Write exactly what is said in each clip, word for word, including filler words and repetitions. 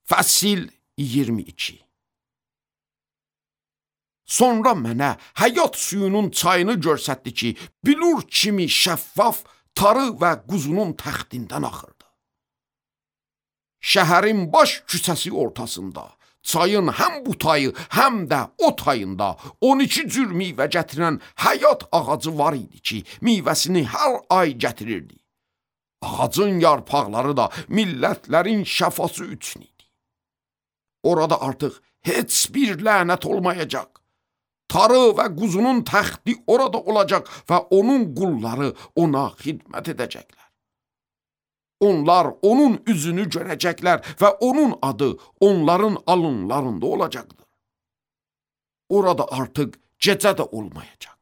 Fəsil iyirmi iki. Sonra mənə həyat suyunun çayını görsətdi ki, bilur kimi şəffaf tarı və quzunun təxtindən axırdı. Şəhərin baş küçəsi ortasında, çayın həm bu tayı, həm də o tayında on iki cür meyvə gətirən həyat ağacı var idi ki, meyvəsini hər ay gətirirdi. Ağacın yarpaqları da millətlərin şəfası üçün idi. Orada artıq heç bir lənət olmayacaq. Tarı və quzunun təxti orada olacaq və onun qulları ona xidmət edəcəklər. Onlar onun üzünü görəcəklər və onun adı onların alınlarında olacaqdır. Orada artıq gecə də olmayacaq.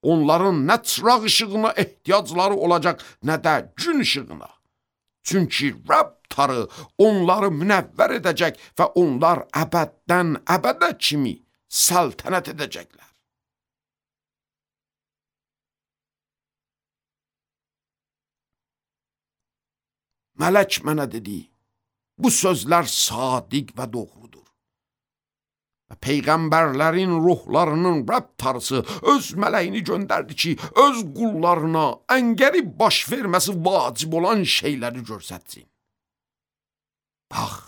Onların nə çıraq işığına ehtiyacları olacaq, nə də gün işığına. Çünki Rəbb tarı onları münəvvər edəcək və onlar əbəddən əbədə kimi səltənət edəcəklər. Mələk mənə dedi, bu sözlər sadiq və doğrudur. Və peyğəmbərlərin ruhlarının Rəbb tarısı öz mələyini göndərdi ki, öz qullarına əngəri baş verməsi vacib olan şeyləri görsətsin. Bax,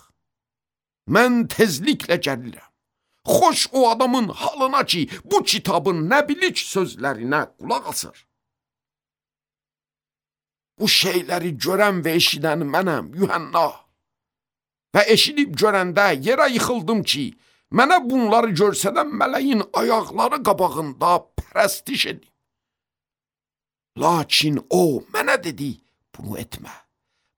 mən tezliklə gəlirəm. Xoş o adamın halına ki, bu kitabın nəbilik sözlərinə qulaq asır. Bu şeyləri görən və eşidən mənəm, Yuhanna. Və eşidib görəndə yerə yıxıldım ki, mənə bunları görsədən mələyin ayaqları qabağında pərəstiş edim. Lakin o mənə dedi, bunu etmə.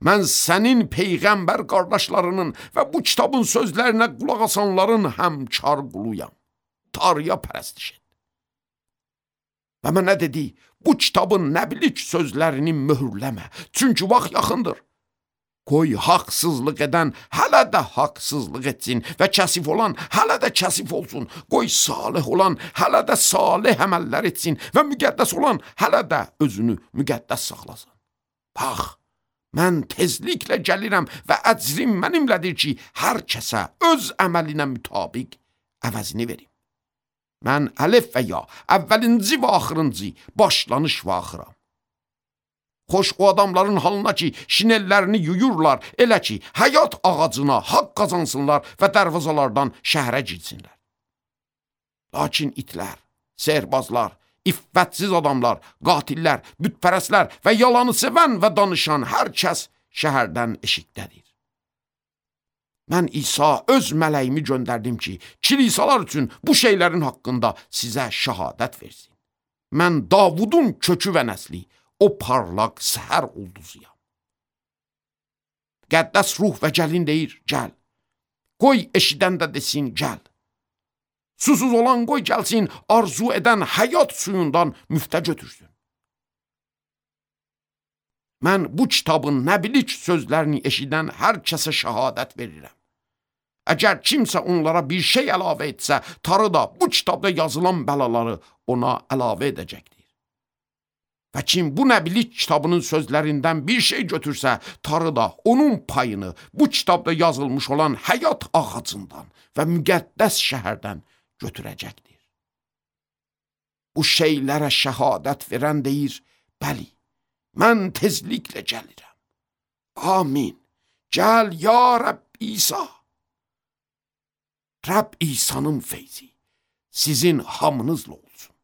Mən sənin peyğəmbər qardaşlarının və bu kitabın sözlərinə qulaq asanların həmkar quluyam. Tarıya pərəstiş et. Və mənə dedi, bu kitabın nəbilik sözlərini möhürləmə, çünki vaxt yaxındır. Qoy haqsızlıq edən hələ də haqsızlıq etsin və kəsif olan hələ də kəsif olsun. Qoy salih olan hələ də salih əməllər etsin və müqəddəs olan hələ də özünü müqəddəs saxlasın. Bax, mən tezliklə gəlirəm və əcrim mənimlədir ki, hər kəsə öz əməlinə mütabiq əvəzini verim. Mən əlif və ya, əvvəlinci və axırıncı, başlanış və axıram. Xoş o adamların halına ki, şinellərini yuyurlar, elə ki, həyat ağacına haqq qazansınlar və dərvazalardan şəhərə girsinlər. Lakin itlər, sehirbazlar, iffətsiz adamlar, qatillər, bütpərəslər və yalanı sevən və danışan hər kəs şəhərdən eşikdədir. Mən İsa öz mələyimi göndərdim ki, kilisalar üçün bu şeylərin haqqında sizə şəhadət versin. Mən Davudun kökü və nəsli, o parlaq səhər ulduzuyam. Qəddəs ruh və gəlin deyir, gəl. Qoy eşidən də desin, gəl. Susuz olan qoy gəlsin, arzu edən həyat suyundan müftə götürsün. Mən bu kitabın nəbilik sözlərini eşidən hər kəsə şəhadət verirəm. Əgər kimsə onlara bir şey əlavə etsə, tarı da bu kitabda yazılan bəlaları ona əlavə edəcəkdir. Və kim bu nəbilik kitabının sözlərindən bir şey götürsə, tarı da onun payını bu kitabda yazılmış olan həyat ağacından və müqəddəs şəhərdən götürəcəkdir. Bu şeylərə şəhadət verən deyir, bəli, mən tezliklə gəlirəm. Amin. Gəl ya Rəbb İsa. Rəbb İsa'nın feyzi sizin hamınızla olsun.